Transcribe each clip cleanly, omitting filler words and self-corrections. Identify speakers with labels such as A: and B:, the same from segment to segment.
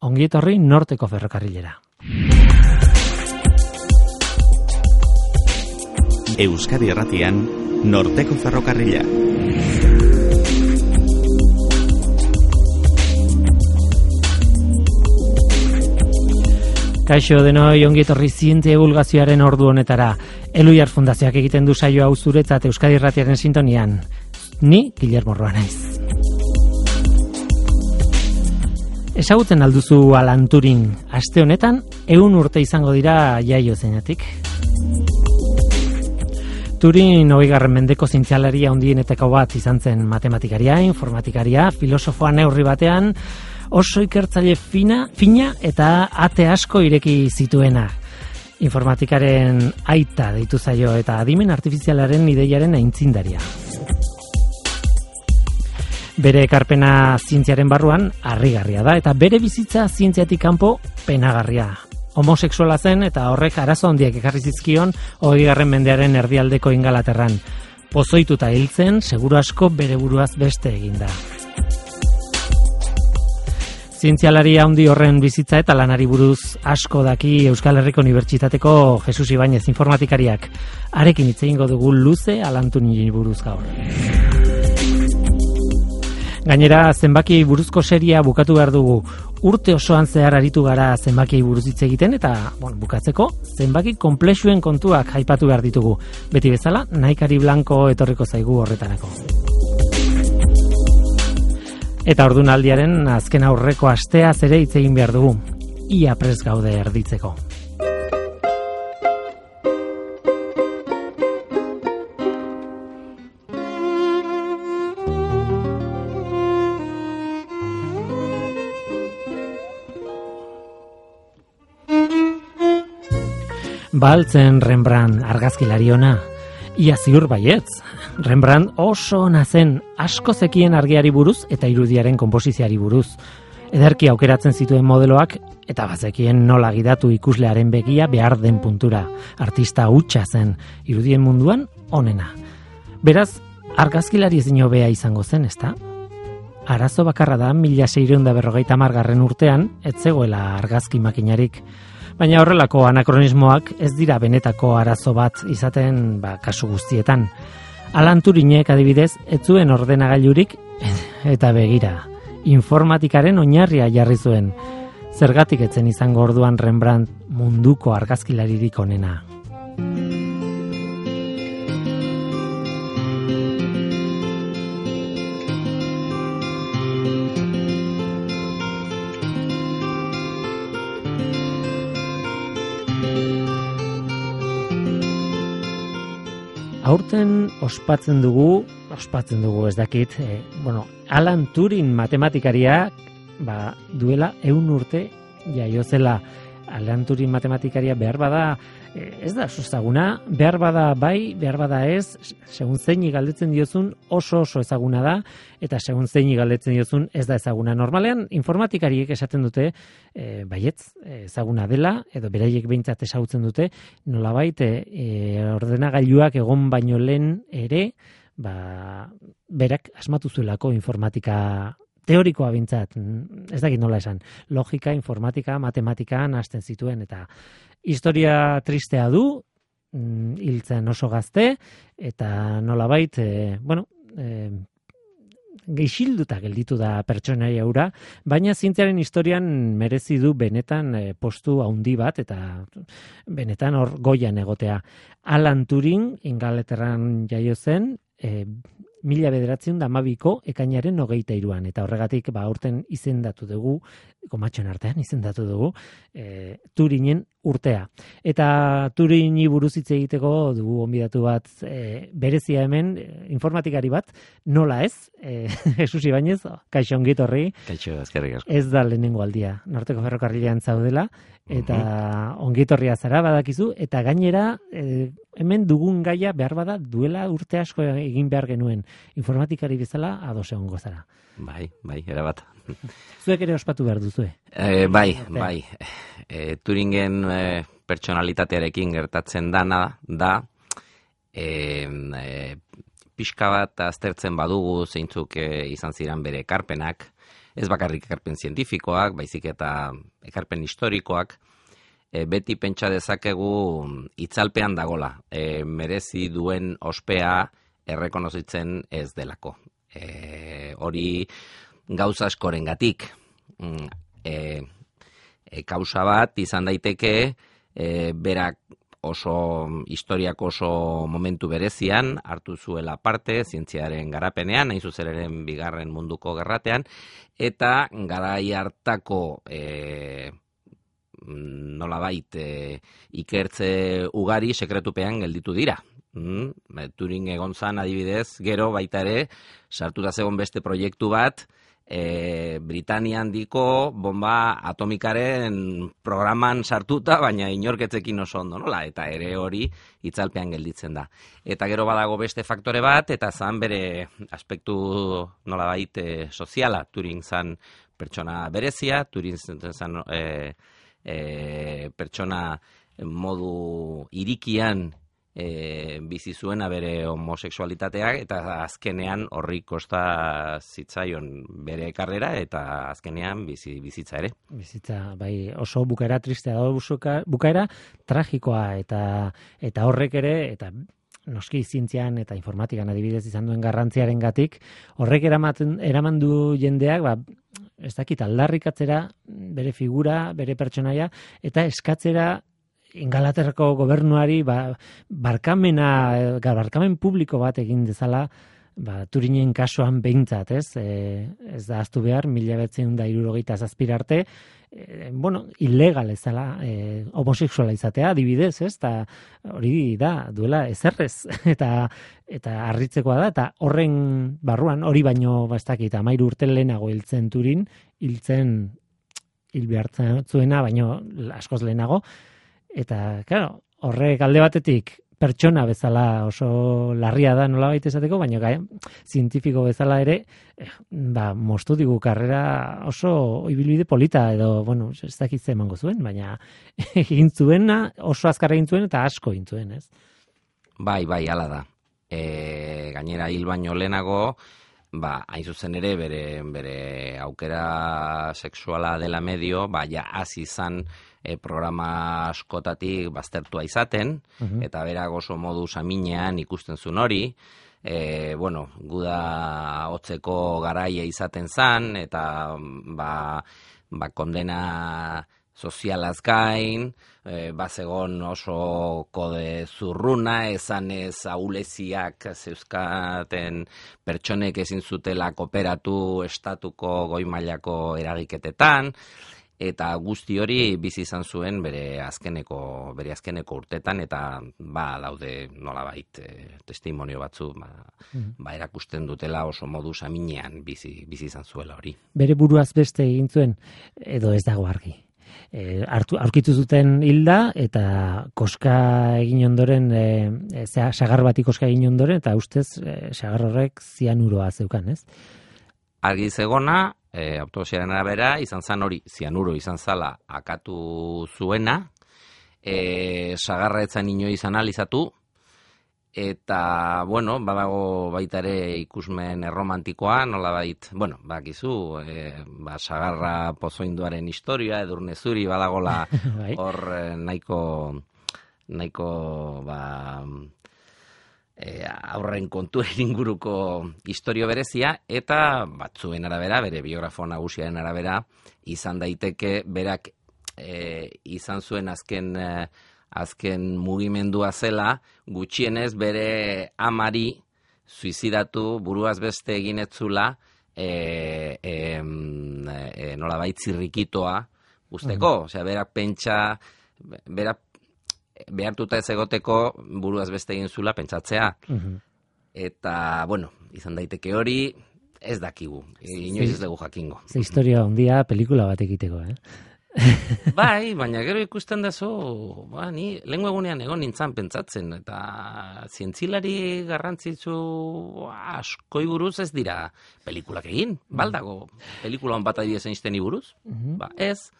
A: ongi etorri Norteko Ferrokarrilera.
B: Euskadi Irratian, Norteko Ferrokarrila.
A: Kaixo denoi, ongi etorri zientzia divulgazioaren ordu honetara. Eluiar Fundazioak egiten du saio hau zuretzat Euskadi Irratiaren sintonian. Ni Guillermo Roa naiz. Ezagutzen alduzu Alan Turing. Aste honetan 100 urte izango dira jaio zenetik. Turing 20. mendeko zientzialaria handienetako bat izan zen, matematikaria, informatikaria, filosofoa neurri batean, oso ikertzaile fina eta ate asko ireki zituena. Informatikaren aita deitu zaio eta adimen artifizialaren ideiaren aitzindaria. Bere ekarpena zientziaren barruan harrigarria da eta bere bizitza zientziatik kanpo penagarria. Homosexuala zen eta horrek arazo handiak ekarri zizkion 20. mendearen erdialdeko Ingalaterran. Pozoituta hiltzen, seguru asko bere buruaz beste eginda. Zientzialari handi horren bizitza eta lanari buruz asko daki Euskal Herriko Unibertsitateko Jesus Ibañez informatikariak. Harekin hitz egingo dugu luze Alan Turingi buruz gaur. Gainera, zenbakiei buruzko seria bukatu behar dugu. Urte osoan zehar aritu gara zenbakiei buruz hitz egiten eta, bukatzeko, zenbaki konplexuen kontuak aipatu behar ditugu. Beti bezala, Naikari Blanco etorriko zaigu horretarako. Eta ordunaldiaren azken aurreko asteaz ere hitz egin behar dugu. Ia prest gaude erditzeko. Baltzen Rembrandt argazkilari ona. Ia ziur baietz. Rembrandt oso ona zen, asko zekien argiari buruz eta irudiaren konposizioari buruz. Ederki aukeratzen zituen modeloak eta bazekien nola gidatu ikuslearen begia behar den puntura. Artista hutsa zen, irudien munduan onena. Beraz, argazkilari ezin hobea izango zen, ezta? Arazo bakarra da 1650 urtean ez zegoela argazki makinarik. Baina horrelako anakronismoak ez dira benetako arazo bat izaten kasu guztietan. Alan Turingek adibidez ez zuen ordenagailurik eta begira. Informatikaren oinarria jarri zuen. Zergatik etzen izango orduan Rembrandt munduko argazkilaririk onena. Aurten ospatzen dugu ez dakit, Alan Turing matematikaria duela 100 urte jaio zela. Alan Turing matematikaria behar bada, ez da oso ezaguna, behar bada bai, behar bada ez, segun zeini galdetzen diozun oso ezaguna da, eta segun zeini galdetzen diozun ez da ezaguna. Normalean informatikariek esaten dute, baietz, ezaguna dela, edo beraiek behintzat ezagutzen dute, nolabait ordenagailuak egon baino lehen ere, berak asmatu zuelako informatika teorikoa bintzat, ez dakit nola esan, logika, informatika, matematikan hasten zituen, eta historia tristea du, hiltzen oso gazte, eta nolabait, geixilduta gelditu da pertsonaia hura, baina zientziaren historian merezi du benetan postu handi bat, eta benetan hor goian egotea. Alan Turing, Ingalaterran jaio zen, 1912ko ekainaren 23an, eta horregatik aurten izendatu dugu, komatxoen artean izendatu dugu, Turingen urtea. Eta Turingi buruz hitz egiteko dugu gonbidatu bat berezia hemen, informatikari bat, nola ez, Jesus Ibañez, kaixo ongi etorri.
B: Kaixo, eskerrik asko.
A: Ez da lehenengo aldia, Norteko Ferrokarrilean zaudela, eta ongi etorria zara badakizu, eta gainera hemen dugun gaia behar bada duela urte asko egin behar genuen. Informatikari bezala ados egongo zara.
B: Bai, erabat.
A: Zuek ere ospatu behar duzue.
B: Bai. Turingen pertsonalitatearekin gertatzen dana da, pixka bat aztertzen badugu zeintzuk izan ziren bere ekarpenak, ez bakarrik ekarpen zientifikoak, baizik eta ekarpen historikoak, beti pentsa dezakegu itzalpean dagola, merezi duen ospea errekonozitzen ez delako. Hori gauza askorengatik, kausa bat izan daiteke, berak historiak oso momentu berezian hartu zuela parte zientziaren garapenean, hain zuzen ere Bigarren Munduko Gerratean, eta garai hartako nolabait ikertze ugari sekretupean gelditu dira. Turing egon zan adibidez, gero baita ere sartuta zegoen beste proiektu bat, Britania handiko bomba atomikaren programan sartuta, baina inorketzekin oso ondo, nola? Eta ere hori itzalpean gelditzen da. Eta gero badago beste faktore bat, eta zan bere aspektu nolabait soziala. Turing zan pertsona berezia, Turing zan pertsona modu irikian bizi zuena bere homosexualitateak, eta azkenean horri kosta zitzaion bere karrera, eta azkenean bizitza ere.
A: Bizitza, bai, oso bukaera tristea da, bukaera tragikoa, eta horrek ere, eta noski zientzian eta informatikan adibidez izan duen garrantziarengatik, horrek eraman du jendeak, ez dakit, aldarrikatzera bere figura, bere pertsonaia, eta eskatzera Ingalaterrako gobernuari barkamen publiko bat egin dezala, Turinen kasuan behintzat, ez? Ez da ahaztu behar, 1967 arte, ilegal ezala, homosexuala izatea, adibidez, ez? Ta hori da, duela ezerrez, eta harritzekoa da, eta horren barruan, hori baino, ez dakit, 13 urte lehenago hiltzen Turin, hil behartzen zuena, baino askoz lehenago, eta, claro, horrek alde batetik pertsona bezala oso larria da nolabait esateko, baina zientifiko bezala ere, moztu digu karrera oso ibilbide polita, edo, ez dakit ze emango zuen, baina egin zuena, oso azkar egin zuen, eta asko egin zuen, ez?
B: Bai, hala da. Gainera hil baino lehenago, hain zuzen ere bere aukera sexuala dela medio, hasi izan programa askotatik baztertua izaten, eta berak oso modu saminean ikusten zuen hori, guda hotzeko garaia izaten zan, eta kondena sozialaz gain, bazegon oso kode zurruna, esanez ahuleziak zeuzkaten pertsonek ezin zutela kooperatu estatuko goi mailako eragiketetan, eta guzti hori bizi izan zuen bere azkeneko urtetan, eta daude nolabait testimonio batzu erakusten dutela oso modu saminean bizi izan zuela hori.
A: Bere buruaz beste egin zuen, edo ez dago argi? Aurkitu zuten hilda, eta koska egin ondoren, sagar bati koska egin ondoren, eta ustez sagar horrek zianuroa zeukan, ez?
B: Argi zegona, autopsiaren arabera, izan zan hori, zianuro izan zala akatu zuena, sagarra etzan inoiz analizatu, eta, badago baita ere ikusmen erromantikoa, nolabait, bakizu, sagarra pozoinduaren historia, Edurne Zuri, badagola hor nahiko aurren kontuen inguruko historio berezia, eta batzuen arabera, bere biografo nagusiaren arabera, izan daiteke berak izan zuen azken mugimendua zela, gutxienez bere amari suizidatu buruaz beste egin etzula nolabait zirrikitoa usteko, osea, berak pentsa, berak behartuta ez egoteko buruaz beste egin zula pentsatzea. Eta, izan daiteke hori, ez dakigu. Inoiz ez dugu jakingo.
A: Ze historia handia pelikula bat egiteko,
B: Bai, baina gero ikusten dazu, ni lehengo egunean egon nintzan pentsatzen, eta zientzilari garrantzitsu askoi buruz ez dira pelikulak egin. Baldago pelikula hon bat adibidez einsteni buruz? Ez.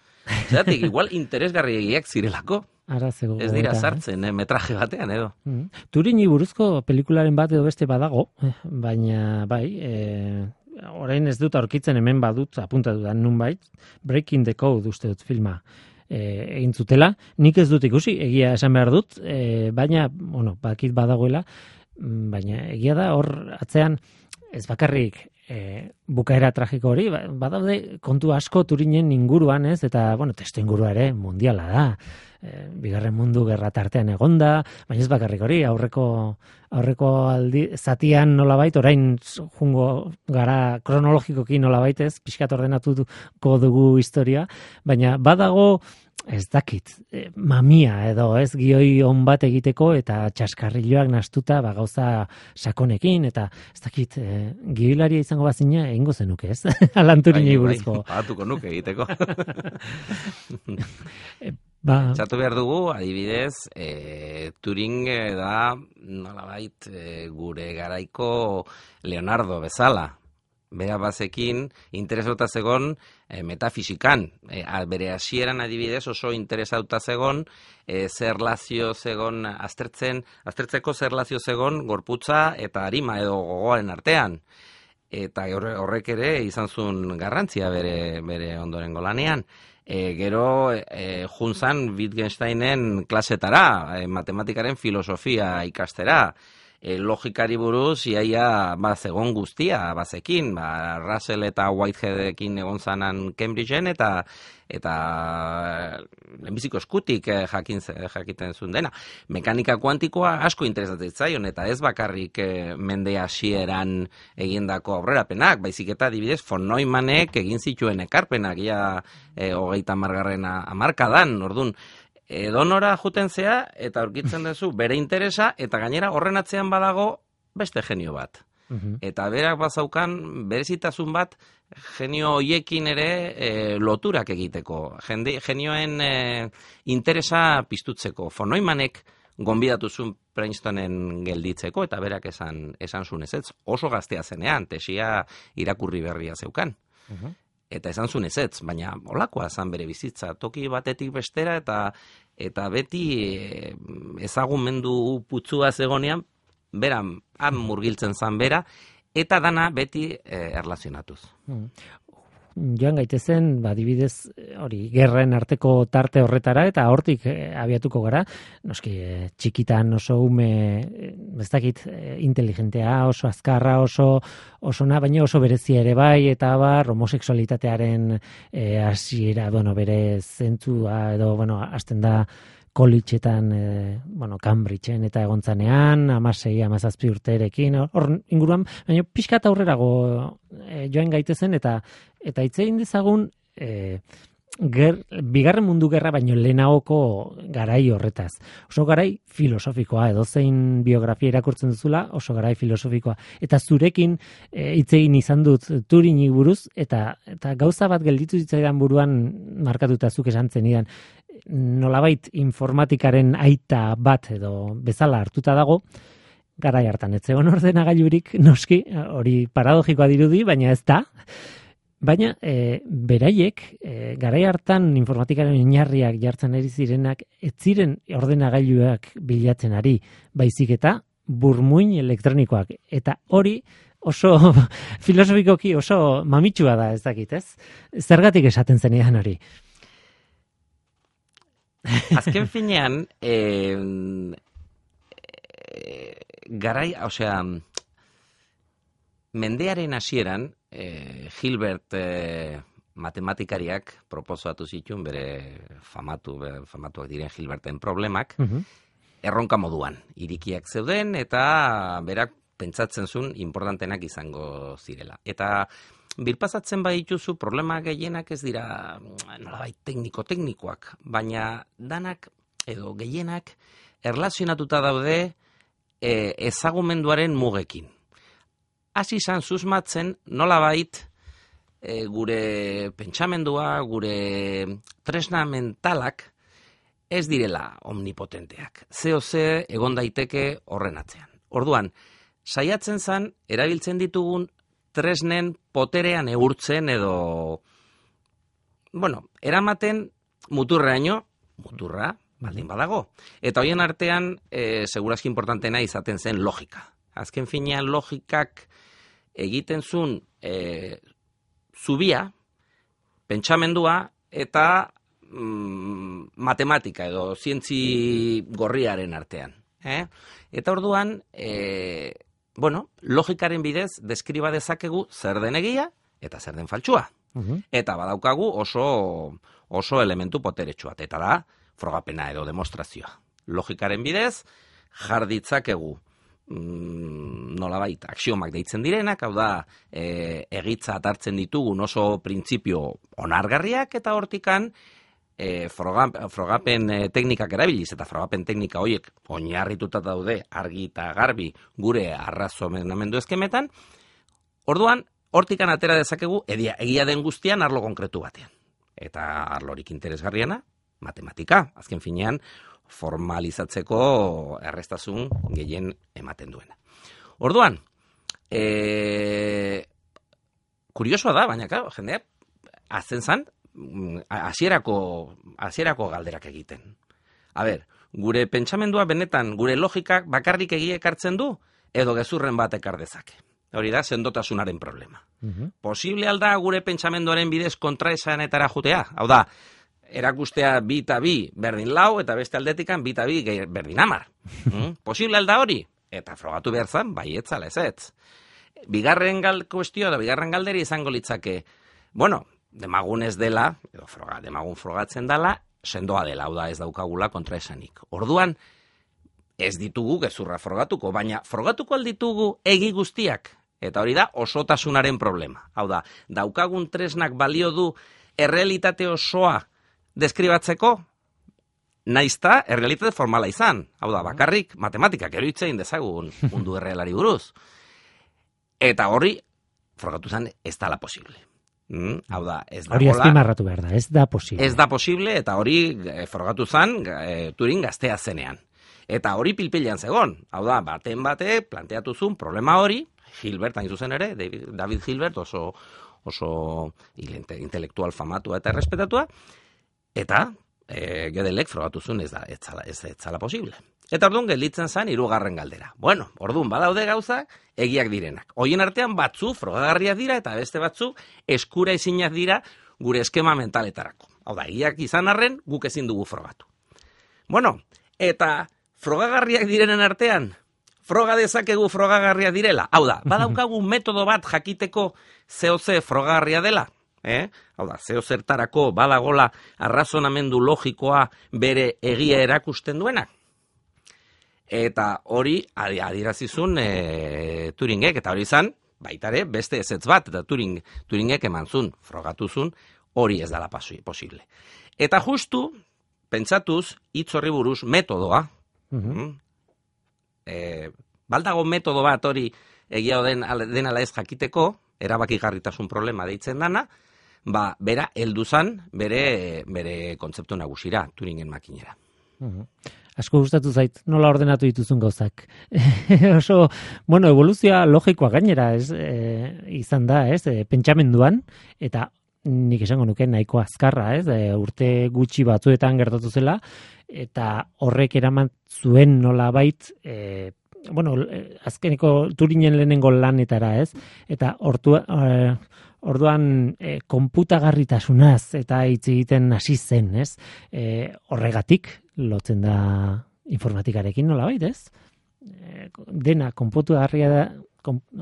B: Zeratik, igual interesgarriegiak zirelako. Ez dira sartzen, metraje batean edo.
A: Turini buruzko pelikularen bat edo beste badago, baina bai, orain ez dut aurkitzen hemen badut apuntatu da nunbait, Breaking the Code uste dut filma egin zutela, nik ez dut ikusi, egia esan behar dut, baina, bueno, bakit badagoela, baina egia da hor atzean ez bakarrik bukaera tragiko hori, badaude kontu asko Turinen inguruan ez, eta, bueno, testu ingurua ere mundiala da, bigarren mundu gerra tartean egonda, baina ez bakarrik hori, aurreko aldi zatian nolabait, orain jungo gara kronologikoki nolabait ez, pixkat ordenatuko dugu historia, baina badago ez dakit, mamia edo ez gioi on bat egiteko eta txaskarriloak nastuta gauza sakonekin eta ez dakit, gioilaria izango bazina egingo zenuke ez? Alan Turinei buruzko.
B: Pagatuko nuke egiteko. Txatu behar dugu, adibidez, Turing da nolabait gure garaiko Leonardo bezala. Bera bazekin interesauta zegon metafisikan. Bere hasieran adibidez oso interesauta zegon zer lazio zegon aztertzeko zer lazio zegon gorputza eta arima edo gogoaren artean. Eta horrek ere izan zuen garrantzia bere ondorengo lanean. Gero juntzan Wittgensteinen klasetara, matematikaren filosofia ikastera. Logikari buruz, iaia zegon guztia, bazekin, Russell eta Whiteheadekin egon zanan Cambridgeen, eta lehenbiziko eskutik jakiten zuen dena. Mekanika kuantikoa asko interesatzen zaion, eta ez bakarrik mende hasieran egindako aurrerapenak, baizik eta adibidez von Neumannek egin zituen ekarpenak, ia 30. hamarkadan, orduan, edonora juten zea eta aurkitzen duzu bere interesa eta gainera horren atzean badago beste genio bat. Eta berak bazaukan berezitasun bat genio hoiekin ere loturak egiteko. Genioen interesa piztutzeko. Von Neumannek gonbidatu zuen Princetonen gelditzeko eta berak esan zuen ez, oso gaztea zenean, tesia irakurri berria zeukan. Eta esan zuen ezetz, baina olakoa zan bere bizitza, toki batetik bestera eta beti ezagumendu putzua zegonean, beran han murgiltzen zan bera, eta dana beti erlazionatuz.
A: Joan gaitezen, adibidez, hori, gerren arteko tarte horretara, eta hortik abiatuko gara, noski, txikitan oso ume, ez dakit, inteligentea, oso azkarra, oso baina oso berezia ere bai, eta homosexualitatearen hasiera, bere zentzua, edo, hasten da, college-etan, Cambridge-en eta egontzanean, 16-17 urterekin, hor inguruan, baina pixkat aurrerago joan gaitezen, eta hitz egin dezagun, bigarren mundu gerra baino lehenagoko garai horretaz. Oso garai filosofikoa, edozein biografia irakurtzen duzula, oso garai filosofikoa. Eta zurekin hitz egin izan dut Turingi buruz, eta gauza bat gelditu zitzaidan buruan markatuta zuk esan zenidan, nolabait informatikaren aita bat edo bezala hartuta dago, garai hartan ez zegoen ordenagailurik noski, hori paradogikoa dirudi, baina ez da. Baina beraiek garai hartan informatikaren oinarriak jartzen ari zirenak ez ziren ordenagailuak bilatzen ari, baizik eta burmuin elektronikoak. Eta hori oso filosofikoki oso mamitsua da, ez dakit, ez? Zergatik esaten zenidan hori?
B: Azken finean, mendearen hasieran, Hilbert matematikariak proposatu zituen bere famatuak diren Hilberten problemak, erronka moduan. Irikiak zeuden eta berak pentsatzen zuen importantenak izango zirela. Eta birpasatzen badituzu problema gehienak ez dira nolabait teknikoak, baina danak edo gehienak erlazionatuta daude ezagumenduaren mugekin. Hasi izan susmatzen nolabait gure pentsamendua, gure tresna mentalak ez direla omnipotenteak. Ze egon daiteke horren atzean. Orduan, saiatzen zan erabiltzen ditugun tresnen poterean neurtzen edo eramaten muturraino, muturra baldin badago. Eta hoien artean segurazki importantena izaten zen logika. Azken finean logikak egiten zuen zubia, pentsamendua eta matematika edo zientzi gorriaren artean. Eta orduan, logikaren bidez deskriba dezakegu zer den egia eta zer den faltsua. Eta badaukagu oso elementu poteretsuat, eta da frogapena edo demostrazioa. Logikaren bidez jarditzakegu nolabait aksiomak deitzen direnak, hau da egitza hartzen ditugun oso printzipio onargarriak, eta hortikan frogapen teknikak erabiliz, eta frogapen teknika horiek oinarrituta daude argi eta garbi gure arrazonamendu eskemetan, orduan hortikan atera dezakegu egia den guztian arlo konkretu batean. Eta arlorik interesgarriena, matematika, azken finean formalizatzeko errestasun gehien ematen duena. Orduan, kuriosoa da, baina jendeak azten zan, hasierako galderak egiten. Gure pentsamendua benetan, gure logikak bakarrik egia ekartzen du, edo gezurren bat ekar dezake. Hori da, sendotasunaren problema. Posible alda gure pentsamenduaren bidez kontraesanetara jutea? Hau da, erakustea 2 eta 2 berdin 4, eta beste aldetikan 2 eta 2 berdin 10. Posible alda hori? Eta frogatu behar zan, bai etzala ez. Bigarren kuestioa da, bigarren galderi izango litzake, demagun ez dela, edo demagun frogatzen dela, sendoa dela, hau da ez daukagula kontraesanik. Orduan, ez ditugu gezurra frogatuko, baina frogatuko alditugu egi guztiak, eta hori da osotasunaren problema. Hau da, daukagun tresnak balio du errealitate osoa deskribatzeko, naizta errealitate formala izan. Hau da, bakarrik matematikak eroitzein dezagun mundu errealari buruz. Eta hori, frogatu zen, ez dala posible. Hau da, ez da
A: hori azpimarratu behar da, ez da posible.
B: Ez da posible, eta hori frogatu zen Turing gaztea zenean. Eta hori pilpilean zegon. Hau da, baten bate planteatu zuen problema hori, Hilbert, hain zuzen ere, David Hilbert, oso intelektual famatua eta errespetatua, eta Gödelek frogatu zuen ez zala posible. Eta orduan gelditzen zen 3. galdera. Orduan badaude gauzak egiak direnak. Horien artean batzu frogagarriak dira eta beste batzu eskura ezinak dira gure eskema mentaletarako. Hau da, egiak izan arren guk ezin dugu frogatu. Eta frogagarriak direnen artean, froga dezakegu frogagarriak direla. Hau da, badaukagu metodo bat jakiteko zehose frogagarria dela. Hau da, zehozertarako badagola arrazonamendu logikoa bere egia erakusten duenak. Eta hori adierazizun Turingek, eta hori izan, baitare, beste ezetz bat, eta Turingek emantzun, frogatuzun, hori ez dala posible. Eta justu, pentsatuz, hitz horri buruz metodoa, baldago metodo bat hori egia denala ez jakiteko, erabakigarritasun problema deitzen dana, bera helduzan bere kontzeptu nagusira, Turingen makinera.
A: Asko gustatu zait, nola ordenatu dituzun gauzak. Oso, evoluzioa logikoa gainera izan da, pentsamenduan, eta nik esango nuke nahiko azkarra, urte gutxi batzuetan gertatu zela, eta horrek eraman zuen nolabait, azkeneko Turingen lehenengo lanetara, eta orduan konputagarritasunaz eta hitz egiten hasi zen, horregatik lotzen da informatikarekin nolabait, dena konputagarria da,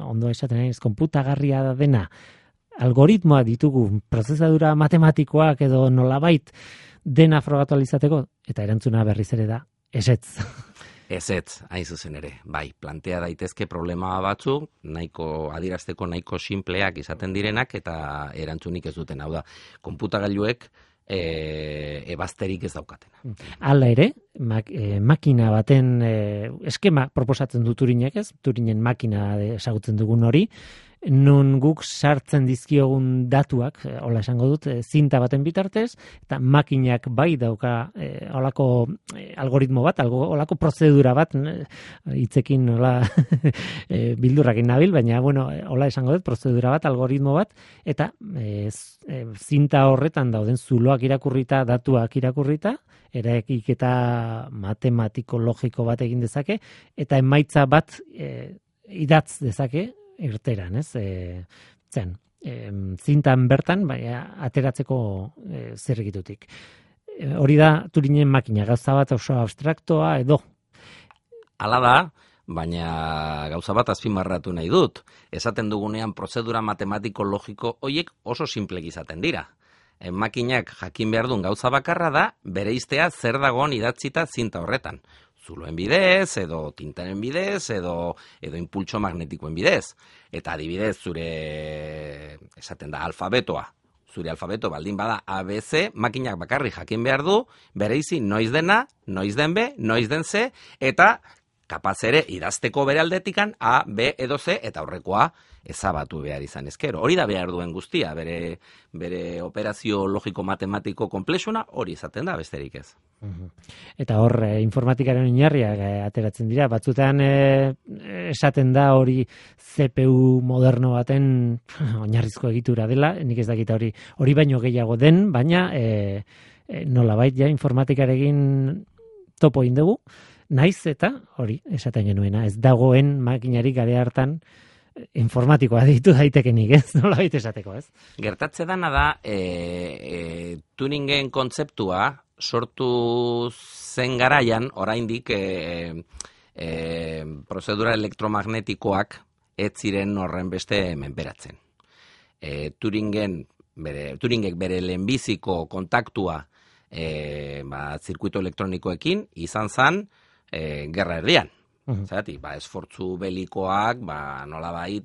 A: ondo esaten naiz, konputagarria da dena, algoritmoa ditugu, prozesadura matematikoak edo nolabait dena frogatu alizateko, eta erantzuna berriz ere da, ezetz.
B: Ezetz, hain zuzen ere, bai, plantea daitezke problema batzuk, nahiko adierazteko nahiko simpleak izaten direnak, eta erantzunik ez duten, hau da, konputagailuek ebazterik ez daukatena.
A: Hala ere, makina baten eskema proposatzen du Turingek, Turingen makina ezagutzen dugun hori, non guk sartzen dizkiogun datuak, hola esango dut, zinta baten bitartez, eta makinak bai dauka holako algoritmo bat, holako prozedura bat, hitzekin hola bildurrakin nabil, baina hola esango dut, prozedura bat, algoritmo bat, eta zinta horretan dauden zuloak irakurrita, datuak irakurrita, eraikiketa matematiko logiko bat egin dezake, eta emaitza bat idatz dezake, irteran, ez? Zintan bertan, ateratzeko zirrikitutik. Hori da Turinen makina, gauza bat oso abstraktoa edo?
B: Hala da, baina gauza bat azpimarratu nahi dut. Esaten dugunean prozedura matematiko logiko hoiek oso simplek izaten dira. Makinak jakin behar duen gauza bakarra da, bereiztea zer dagoen idatzita zinta horretan. Zuloen bidez, edo tintaren bidez, edo impultso magnetikoen bidez. Eta adibidez, zure, esaten da, alfabetoa. Zure alfabeto baldin bada ABC, makinak bakarri jakin behar du, bereizi noiz dena, noiz den B, noiz den C, eta kapaz ere idazteko bere aldetikan A, B edo C, eta horrekoa ezabatu behar izan ezkero. Hori da behar duen guztia, bere operazio logiko-matematiko konplexuna hori izaten da, besterik ez.
A: Eta hor, informatikaren oinarriak ateratzen dira, batzutean esaten da hori CPU moderno baten oinarrizko egitura dela, nik ez dakita hori baino gehiago den, baina nolabait ja informatikarekin topo indugu, naiz eta hori esaten genuena, ez dagoen makinarik gare hartan informatikoa ditu daitekenik, ez? Nolabait esateko, ez?
B: Gertatze dana da, Turingen kontzeptua sortu zen garaian, oraindik prozedura elektromagnetikoak ez ziren horren beste menperatzen. Turingek bere lehenbiziko kontaktua zirkuito elektronikoekin izan zen gerra erdian. Zeratik, esfortzu belikoak, nolabait,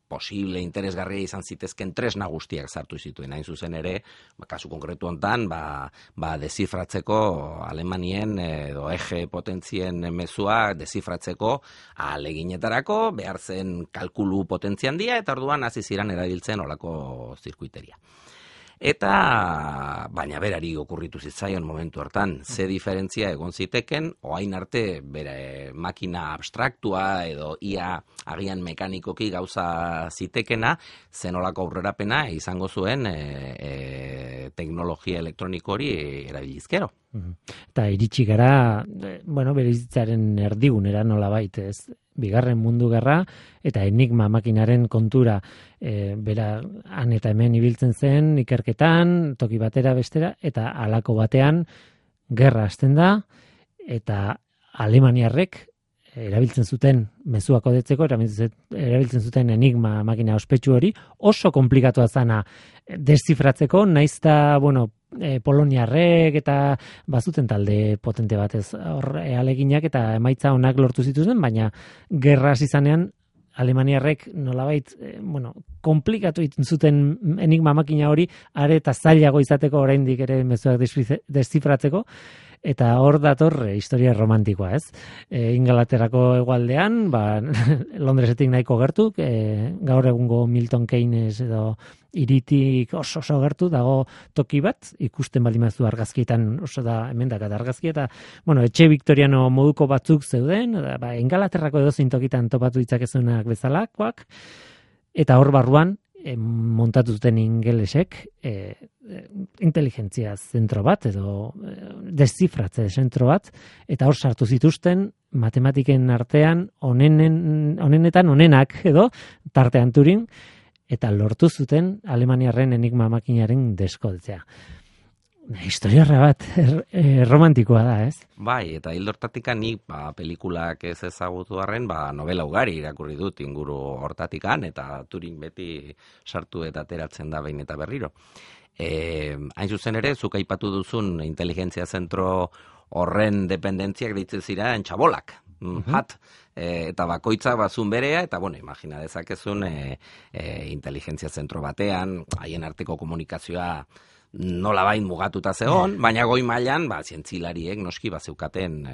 B: posible interesgarria izan zitezken tresna guztiak sartu zituen. Hain zuzen ere, kasu konkretu hontan, dezifratzeko Alemanien edo eje potentzien mezua dezifratzeko ahaleginetarako behar zen kalkulu potentzia handia, eta orduan hasi ziren erabiltzen olako zirkuiteria. Eta, baina berari okurritu zitzaion momentu hartan, ze diferentzia egon ziteken, oain arte bere makina abstraktua edo ia agian mekanikoki gauza zitekena, zenolako aurrerapena izango zuen teknologia elektroniko hori erabilizkero.
A: Eta iritsi gara, bere bizitzaren erdigunera nolabait, ez? Bigarren mundu gerra eta enigma makinaren kontura bera han eta hemen ibiltzen zen ikerketan, toki batera bestera, eta halako batean gerra hasten da, eta alemaniarrek erabiltzen zuten mezuak kodetzeko, erabiltzen zuten enigma makina ospetsu hori, oso komplikatua zana deszifratzeko, naizta, poloniarrek eta bazuten talde potente batez hor aleginak eta emaitza onak lortu zituzten, baina gerra hasi zanean alemaniarrek nolabait, komplikatu egiten zuten enigma makina hori, are eta zailago izateko oraindik ere mezuak deszifratzeko. Eta hor dator historia romantikoa, ez? Ingalaterrako hegoaldean, Londresetik nahiko gertu, gaur egungo Milton Keynes edo hiritik oso gertu dago toki bat, ikusten baldin baduzu argazkietan oso da hemendak eta argazki, eta etxe viktoriano moduko batzuk zeuden, Ingalaterrako edozein tokitan topatu ditzakezunak bezalakoak, eta hor barruan montatu zuten ingelesek inteligentzia zentro bat edo deszifratze zentro bat, eta hor sartu zituzten matematiken artean onenetan onenak edo tartean Turing, eta lortu zuten alemaniarren enigma makinaren deskodetzea. Historiarra bat romantikoa da, ez?
B: Bai, eta hildortatikan nik pelikulak ez ezagutu arren, novela ugari irakurri dut inguru hortatikan, eta Turing beti sartu eta ateratzen da behin eta berriro. Hain zuzen ere, zuk aipatu duzun inteligentzia zentro horren dependentziak deitzen ziren txabolak. Eta bakoitza bazun berea, eta imagina dezakezun inteligentzia zentro batean, haien arteko komunikazioa nolabait mugatuta zegoen, baina goi mailan zientzilariek noski bazeukaten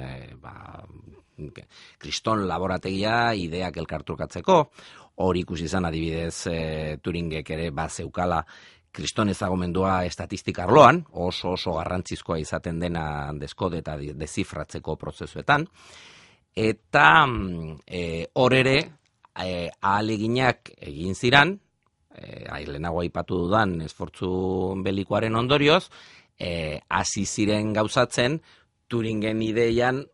B: kriston laborategia ideak elkartrukatzeko, hori ikusi izan adibidez Turingek ere bazeukala kriston ezagomendua estatistika arloan, oso garrantzizkoa izaten dena deskode eta dezifratzeko prozesuetan, eta hor ere ahaleginak egin ziran, lehenago aipatu dudan esfortzu belikoaren ondorioz, hasi ziren gauzatzen Turingen ideietan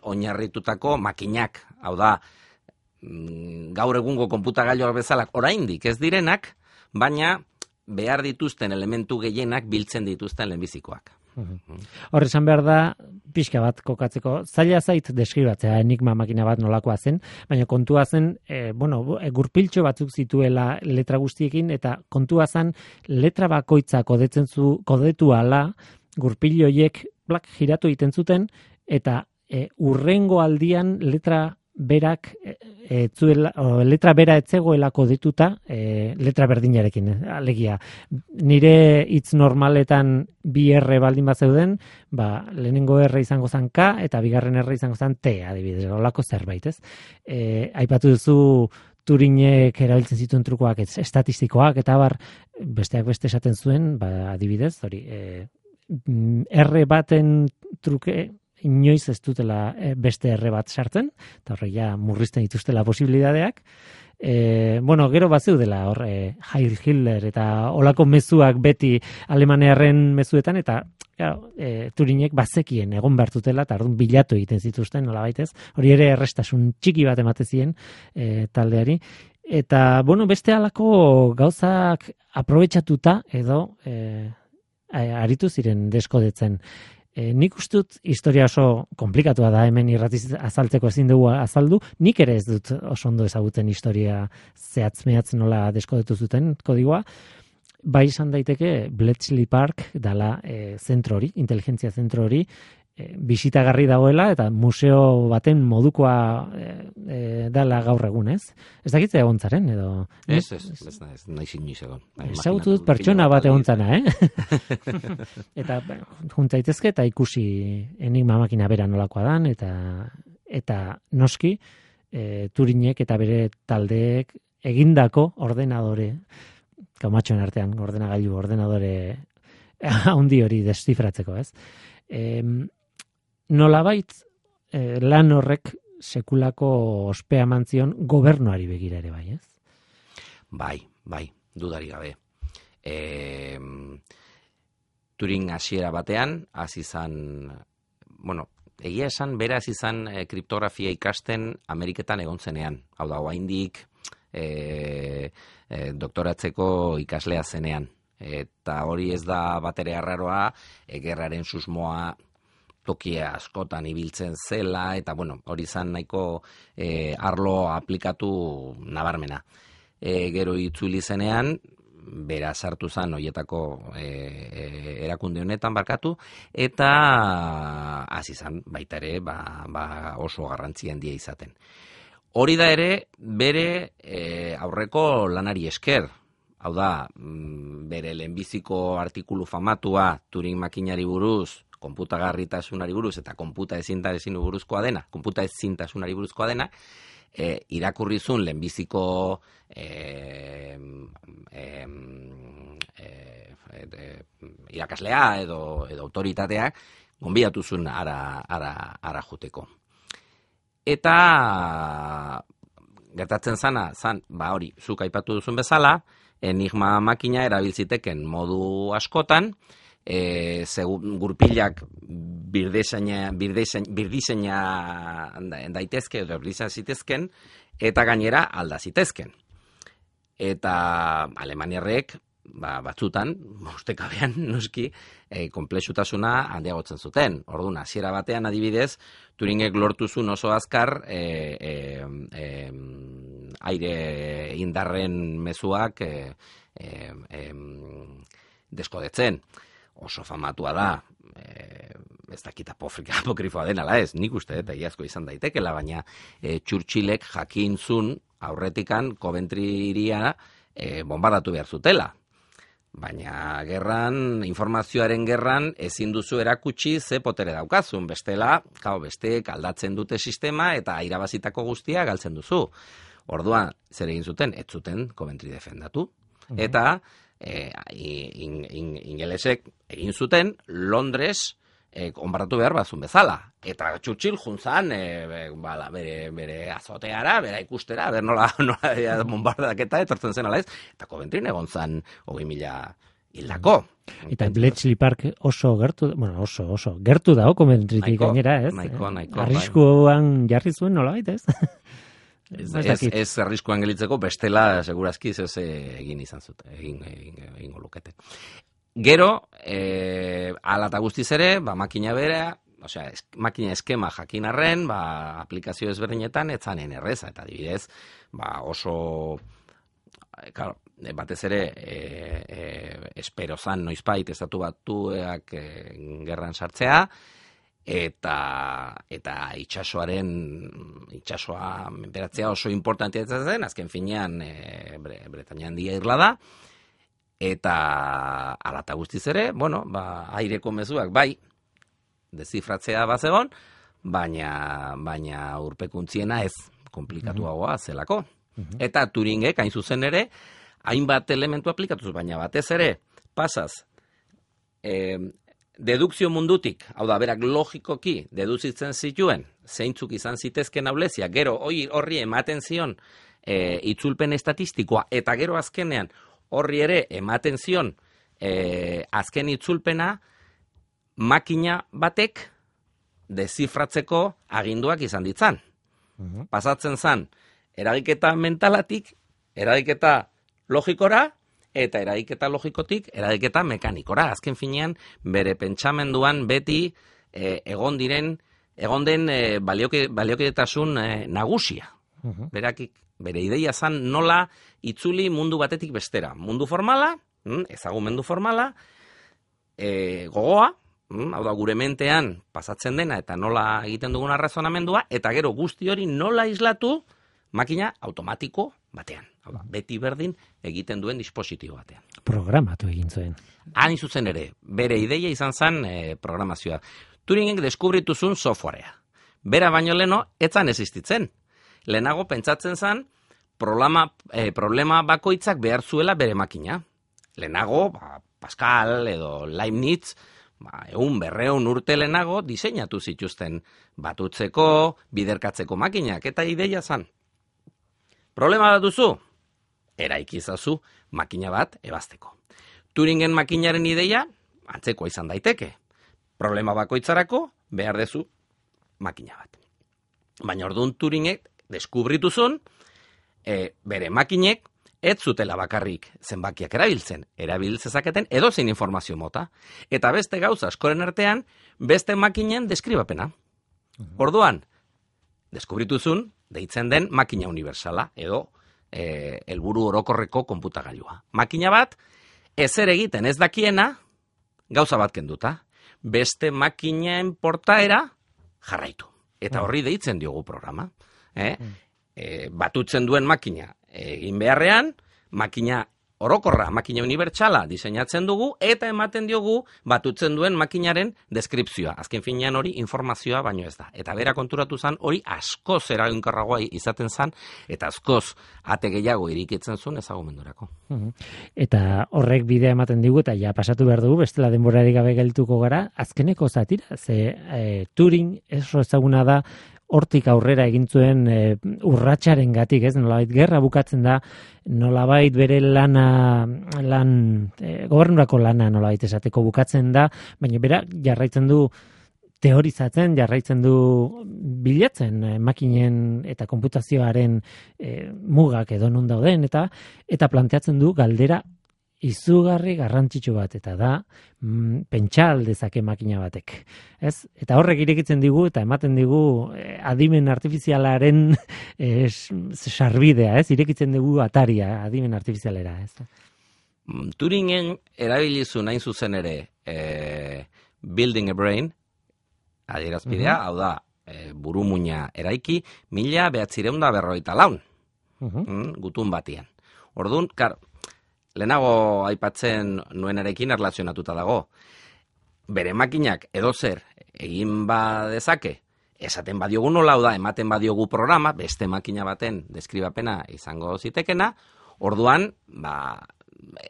B: oinarritutako makinak, hau da, gaur egungo konputagailuak bezalak oraindik ez direnak, baina behar dituzten elementu gehienak biltzen dituzten lehenbizikoak.
A: Hor esan behar da, pixka bat kokatzeko, zaila zait deskribatzea enigma makina bat nolakoa zen, baina kontua zen, gurpiltxo batzuk zituela letra guztiekin, eta kontua zen letra bakoitza kodetu ala, gurpilloiek giratu egiten zuten, eta urrengo aldian letra berak letra bera etzegoela kodetuta letra berdinarekin, alegia. Nire hitz normaletan bi R baldin bat zeuden, lehenengo R izango zen K eta bigarren R izango zen T, adibidez, olako zerbait, ez? Aipatu duzu Turinek erabiltzen zituen trukoak, estatistikoak, eta besteak beste esaten zuen, adibidez, hori, R baten truke, inoiz ez dutela beste erre bat sartzen, eta horrek ja murrizten dituztela posibilidadeak. Gero bat zeudela hor Heil Hitler eta olako mezuak beti alemanearren mezuetan, eta Turinek bazekien egon behartutela, eta orduan bilatu egiten zituzten, nolabait ez. Hori ere errestasun txiki bat ematen zien taldeari. Eta, beste halako gauzak aprobetxatuta edo aritu ziren deskodetzen. Nik ustut historia oso komplikatua da, hemen irratiz azaltzeko ezin dugu azaldu, nik ere ez dut oso ondo ezagutzen historia zehatz-mehatz nola deskodetu zuten kodigoa, bai izan daiteke Bletchley Park dala zentro hori, inteligentzia zentro hori, bisitagarri dagoela eta museo baten modukoa dala gaur egun, ez? Ez dakitze egontzaren, edo...
B: Ez, nahi inoiz egon.
A: Ezagutu dut pertsona bat egontzana, Eta juntzaitezke eta ikusi enigma makina bera nolakoa dan, eta noski Turinek eta bere taldeek egindako ordenadore, kaumatxoen artean ordenadore handi hori destifratzeko, ez? Nolabait lan horrek sekulako ospea mantzion gobernuari begira ere, bai, ez?
B: Bai, dudari gabe. Turing hasiera batean, hasi izan, egia esan, bera hasi izan kriptografia ikasten Ameriketan egon zenean. Hau da, oraindik doktoratzeko ikaslea zenean. Eta hori ez da batere arraroa, gerraren susmoa tokia askotan ibiltzen zela, eta hori izan nahiko arlo aplikatu nabarmena. Gero itzuli zenean, bera sartu zen horietako erakunde honetan barkatu, eta hasi zen baita ere oso garrantzi handia izaten. Hori da ere, bere aurreko lanari esker, hau da, bere lehenbiziko artikulu famatua Turing makinari buruz, konputagarritasunari buruz eta konputaezintasunari buruzkoa dena, irakurrizun lehenbiziko irakaslea edo autoritatea gonbidatu zuen ara joteko. Eta gertatzen zan, hori, zuk aipatu duzun bezala, enigma makina erabiltziteken modu askotan, gurpilak birdiseina daitezke edo birdiseina zitezken, eta gainera alda zitezken. Eta alemaniarrek batzutan, ustekabean noski, konplexutasuna handiagotzen zuten. Orduan, hasiera batean adibidez, Turingek lortu zuen oso azkar aire indarren mezuak deskodetzen. Oso famatua da, ez dakit apokrifoa den ala ez, nik uste, eta iazko izan daitekela, baina Churchillek jakin zun aurretikan Coventry hiria bombardatu behar zutela. Baina informazioaren gerran ezin duzu erakutsi ze potere daukazun, bestela, besteek aldatzen dute sistema eta irabazitako guztia galtzen duzu. Orduan, zer egin zuten? Ez zuten Coventry defendatu. Eta ingelesek egin zuten Londres onbaratu behar bazun bezala. Eta Churchill juntzan bere azoteara, bera ikustera, nola bombardaketa etortzen zen ala ez. Eta Coventry egon zan 20.000 hildako.
A: Eta Bletchley Park oso gertu, oso gertu dago Coventrytik gainera, ez?
B: Nahiko.
A: Arriskuan jarri zuen nolabait, ez?
B: Ez arriskuan gelitzeko, bestela segurazki ez egin izan zuten, egingo lukete. Gero, ala eta guztiz ere, makina bera, osea, makina eskema jakin arren, aplikazio ezberdinetan, etzanen erreza, eta adibidez, oso, claro, batez ere, espero zan noizbait estatu batuak gerran sartzea, eta itxasoa menperatzea oso importantea zen, azken finean Bretaña Handia irla da, eta ala eta guztiz ere, aireko mezuak bai, dezifratzea bazegon, baina urpekuntziena ez, komplikatuagoa zelako. Eta Turingek, hain zuzen ere, hainbat elementu aplikatuz, baina batez ere, pasaz, dedukzio mundutik, hau da, berak logikoki deduzitzen zituen, zeintzuk izan zitezken aulezia, gero horri ematen zion itzulpen estatistikoa, eta gero azkenean horri ere ematen zion azken itzulpena, makina batek dezifratzeko aginduak izan ditzan. Pasatzen zan, eragiketa mentalatik, eragiketa logikora, eta eragiketa logikotik, eragiketa mekanikora. Azken finean, bere pentsamenduan beti egon den baliokidetasun nagusia. Bere ideia zan nola itzuli mundu batetik bestera. Mundu formala, ezagumendu formala, gogoa, hau da gure mentean pasatzen dena eta nola egiten dugun arrazonamendua, eta gero guzti hori nola islatu makina automatiko batean. Hau da, beti berdin egiten duen dispositibo batean.
A: Programatu egin zuen.
B: Hain zuzen ere, bere ideia izan zen programazioa. Turingek deskubritu zuen softwarea. Bera baino leno, etzan existitzen. Lehenago pentsatzen zen, problema bakoitzak behar zuela bere makina. Lehenago, Pascal edo Leibniz, 200 urte lehenago diseinatu zituzten batutzeko, biderkatzeko makinak, eta ideia zen. Problema bat duzu? Eraikizazu makina bat ebazteko. Turingen makinaren ideia, antzekoa izan daiteke. Problema bakoitzarako behar dezu makina bat. Baina orduan Turingek deskubritu zuen, bere makinek ez zutela bakarrik zenbakiak erabiltzezaketen edozein informazio mota, eta beste gauza askoren artean, beste makinen deskribapena. Orduan, deskubritu zuen, deitzen den makina universala, edo helburu orokorreko konputagailua. Makina bat, ezer egiten ez dakiena, gauza bat kenduta, beste makinen portaera jarraitu. Eta horri deitzen diogu programa. Batutzen duen makina egin beharrean, makina orokorra, makina unibertsala diseinatzen dugu, eta ematen diogu batutzen duen makinaren deskripzioa. Azken finean hori informazioa baino ez da. Eta bera konturatu zen hori askoz eraginkorragoa izaten zen, eta askoz ate gehiago irikitzen zuen ezagumendurako.
A: Eta horrek bidea ematen digu, eta ja pasatu behar dugu, bestela denborarik gabe geltuko gara, azkeneko zatira, ze Turing ezaguna da, hortik aurrera egin zuen urratsaren gatik, ez? Nolabait gerra bukatzen da, nolabait bere gobernurako lana nolabait esateko bukatzen da, baina bera jarraitzen du teorizatzen, jarraitzen du bilatzen makinen eta konputazioaren mugak edo non dauden, eta planteatzen du galdera izugarri garrantzitsu bat, eta da pentsa aldezake makina batek. Ez? Eta horrek irekitzen digu eta ematen digu adimen artifizialaren sarbidea, ez? Irekitzen digu ataria adimen artifizialera, ez?
B: Turingen erabilizu nahin zuzen ere building a brain, adierazpidea, hau da, burumuina eraiki, 1954, gutun batian. Orduan, lehenago aipatzen nuenarekin erlazionatuta dago. Bere makinak edozer egin badezake, esaten badiogu nola, da, ematen badiogu programa, beste makina baten deskribapena izango zitekena, orduan,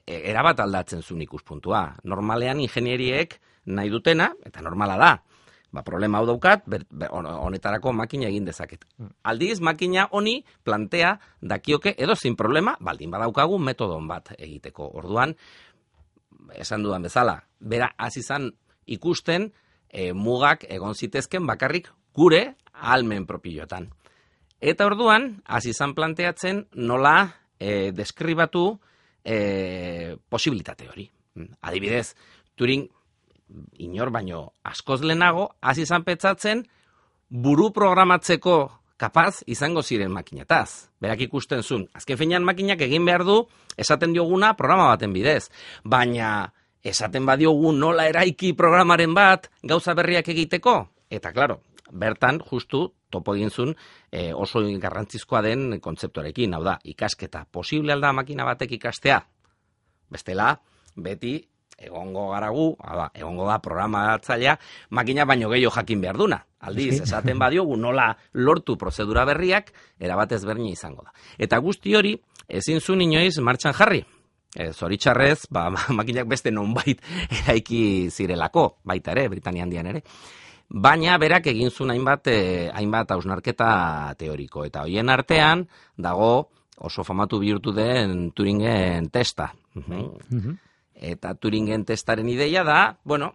B: erabat aldatzen zuen ikuspuntua. Normalean ingenieriek nahi dutena, eta normala da, problema hau daukat, honetarako makina egin dezaket. Aldiz, makina honi plantea dakioke edozein problema, baldin badaukagu metodon bat egiteko. Orduan, esan dudan bezala, bera azizan ikusten mugak egon zitezken bakarrik gure ahalmen propioetan. Eta orduan, hasi izan planteatzen nola deskribatu posibilitate hori. Adibidez, Turing inor baino askoz lehenago, hasi izan pentsatzen buru programatzeko kapaz izango ziren makinetaz. Berak ikusten zuen, azken finean makinak egin behar du, esaten dioguna programa baten bidez. Baina esaten badiogu nola eraiki programaren bat gauza berriak egiteko. Eta, klaro, bertan justu topo egin zuen oso garrantzizkoa den kontzeptuarekin. Hau da, ikasketa posible alda makina batek ikastea. Bestela, beti egongo garagu, egongo da programatzailea, makina baino gehiago jakin behar duna. Aldiz, esaten badiogu nola lortu prozedura berriak, erabat ezberdina izango da. Eta guzti hori, ezin zuen inoiz martxan jarri. Zoritxarrez, makinak beste nonbait eraiki zirelako, baita ere, Britania Handian ere. Baina berak egin zuen hainbat hausnarketa teoriko. Eta hoien artean, dago oso famatu bihurtu den Turingen testa. Eta Turingen testaren ideia da, bueno,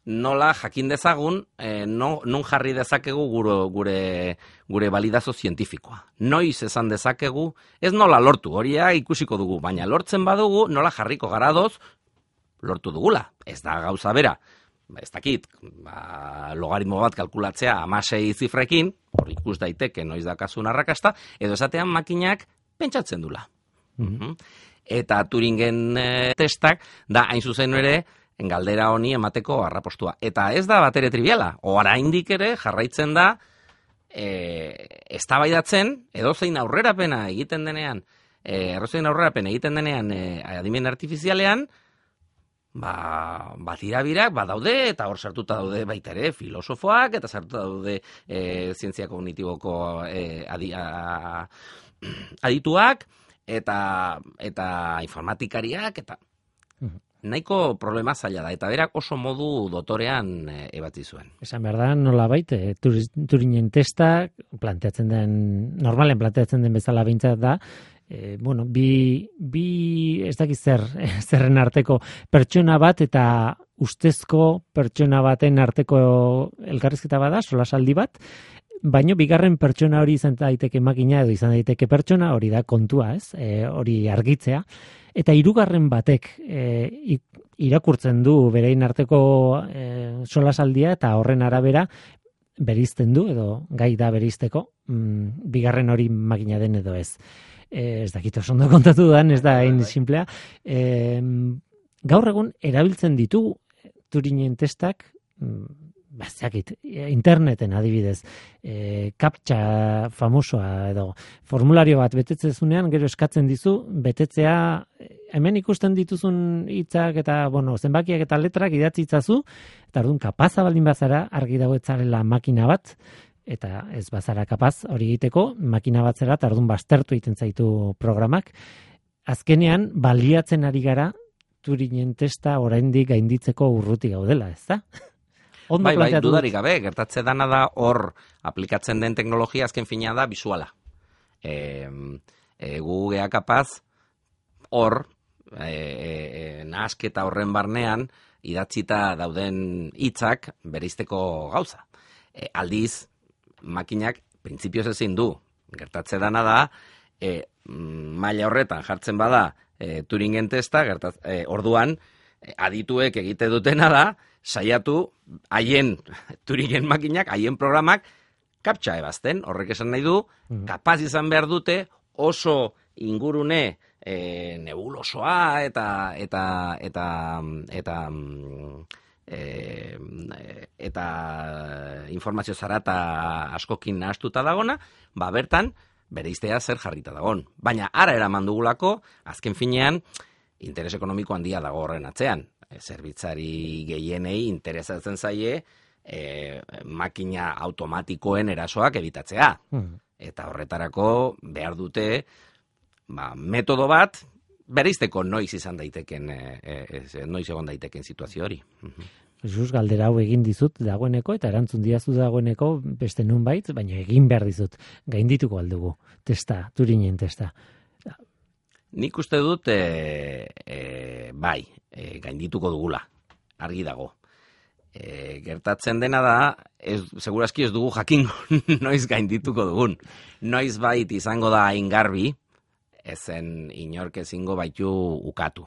B: nola jakin dezagun, non jarri dezakegu gure balidazio zientifikoa. Noiz esan dezakegu, ez nola lortu, horia ikusiko dugu, baina lortzen badugu, nola jarriko garadoz, lortu dugula. Ez da gauza bera, ez dakit, logaritmo bat kalkulatzea 16 zifrekin, hor ikus daiteke noiz dakasun arrakasta, edo esatean makinak pentsatzen dula. Eta Turingen testak da hain zuzen ere galdera honi emateko arrapostua. Eta ez da batere triviala. Oraindik ere jarraitzen da eztabaidatzen edozein aurrerapena egiten denean, adimen artifizialean, batirabirak badaude eta hor sartuta daude baita ere filosofoak eta sartuta daude zientzia kognitiboko adituak eta informatikariak eta nahiko problema zaila da, eta berak oso modu dotorean ebatzi zuen. Esan
A: behar da, nolabait, Turingen testa, normalen planteatzen den bezala behintzat da, bi ez dakiz zerren arteko pertsona bat eta ustezko pertsona baten arteko elkarrizketa bada, solasaldi bat, baino bigarren pertsona hori izan daiteke makina edo izan daiteke pertsona, hori da kontua, ez? Hori argitzea. Eta hirugarren batek irakurtzen du berein arteko solasaldia eta horren arabera berizten du edo gai da berizteko bigarren hori makina den edo ez. Ez dakit oso ondo kontatu dan, ez da hain simplea. Gaur egun erabiltzen ditugu Turingen testak, interneten adibidez, kaptxa famosoa edo formulario bat betetzezunean, gero eskatzen dizu, betetzea, hemen ikusten dituzun hitzak eta, zenbakiak eta letrak idatzi itzazu, eta orduan kapaza baldin bazara, argi dago etzarela makina bat, eta ez bazara kapaz hori egiteko, makina bat zera, eta orduan baztertu egiten zaitu programak. Azkenean, baliatzen ari gara, Turingen testa oraindik gainditzeko urruti gaudela, ez da?
B: Bai, dudarik gabe, gertatze dana da hor aplikatzen den teknologia azken fina da bisuala. Gu gea kapaz hor nahasketa horren barnean idatzita dauden hitzak bereizteko gauza. Aldiz, makinak printzipioz ezin du. Gertatze dana da, maila horretan jartzen bada Turingen testa, orduan adituek egite dutena da, saiatu haien Turingen makinak, haien programak kaptxa ebazten, horrek esan nahi du, kapaz izan behar dute oso ingurune nebulosoa eta informazio zarata askokin nahastuta dagona, bertan bereiztea zer jarrita dagon. Baina ara eraman dugulako, azken finean, interes ekonomiko handia dago horren atzean. Zerbitzari gehienei interesatzen zaie makina automatikoen erasoak ebitatzea. Eta horretarako behar dute metodo bat bereizteko noiz izan daiteken, noiz egon daiteken situazio hori.
A: Jesus, galdera hau egin dizut dagoeneko eta erantzun diazu dagoeneko beste nonbait, baina egin behar dizut. Gaindituko aldugu testa, Turingen testa.
B: Nik uste dut, gaindituko dugula, argi dago. Gertatzen dena da, segurazki ez dugu jakingo noiz gaindituko dugun. Noiz bait izango da hain garbi, ezen inork ezingo baitu ukatu.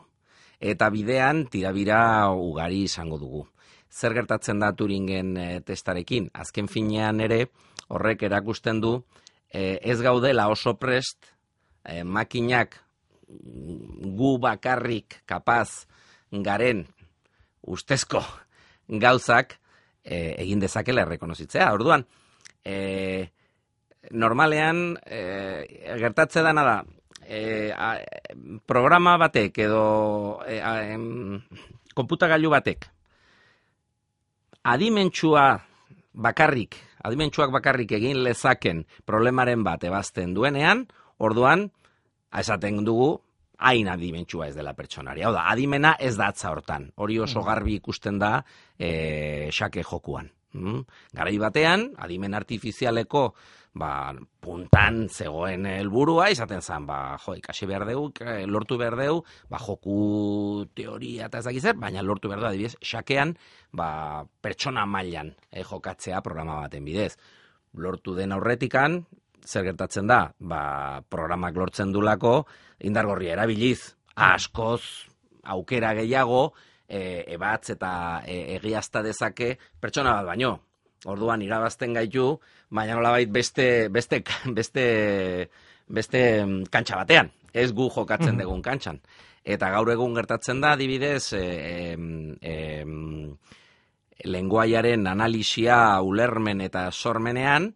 B: Eta bidean tirabira ugari izango dugu. Zer gertatzen da Turingen testarekin? Azken finean ere, horrek erakusten du, ez gaudela oso prest, makinak gu bakarrik kapaz garen ustezko gauzak egin dezakela errekonozitzea. Orduan, normalean gertatze dana da, programa batek edo konputagailu batek adimentsuak bakarrik egin lezaken problemaren bat ebazten duenean, orduan, esaten dugu, hain adimentsua ez dela pertsonari. Hau da, adimena ez da atza hortan. Hori oso garbi ikusten da xake jokuan. Garai batean, adimen artifizialeko puntan zegoen helburua izaten zen, ikasi behar dugu, lortu behar dugu, joku teoria eta ez dakiz zer, baina lortu behar dugu, adibidez, xakean, pertsona mailan jokatzea programa baten bidez. Lortu den aurretikan, zer gertatzen da, programak lortzen dulako, indargorria erabiliz, askoz, aukera gehiago, ebatz eta egiazta dezake pertsona bat baino. Orduan irabazten gaitu, baina nolabait beste kantxa batean, ez gu jokatzen dugun kantxan. Eta gaur egun gertatzen da, adibidez, lenguaiaren analisia ulermen eta sormenean,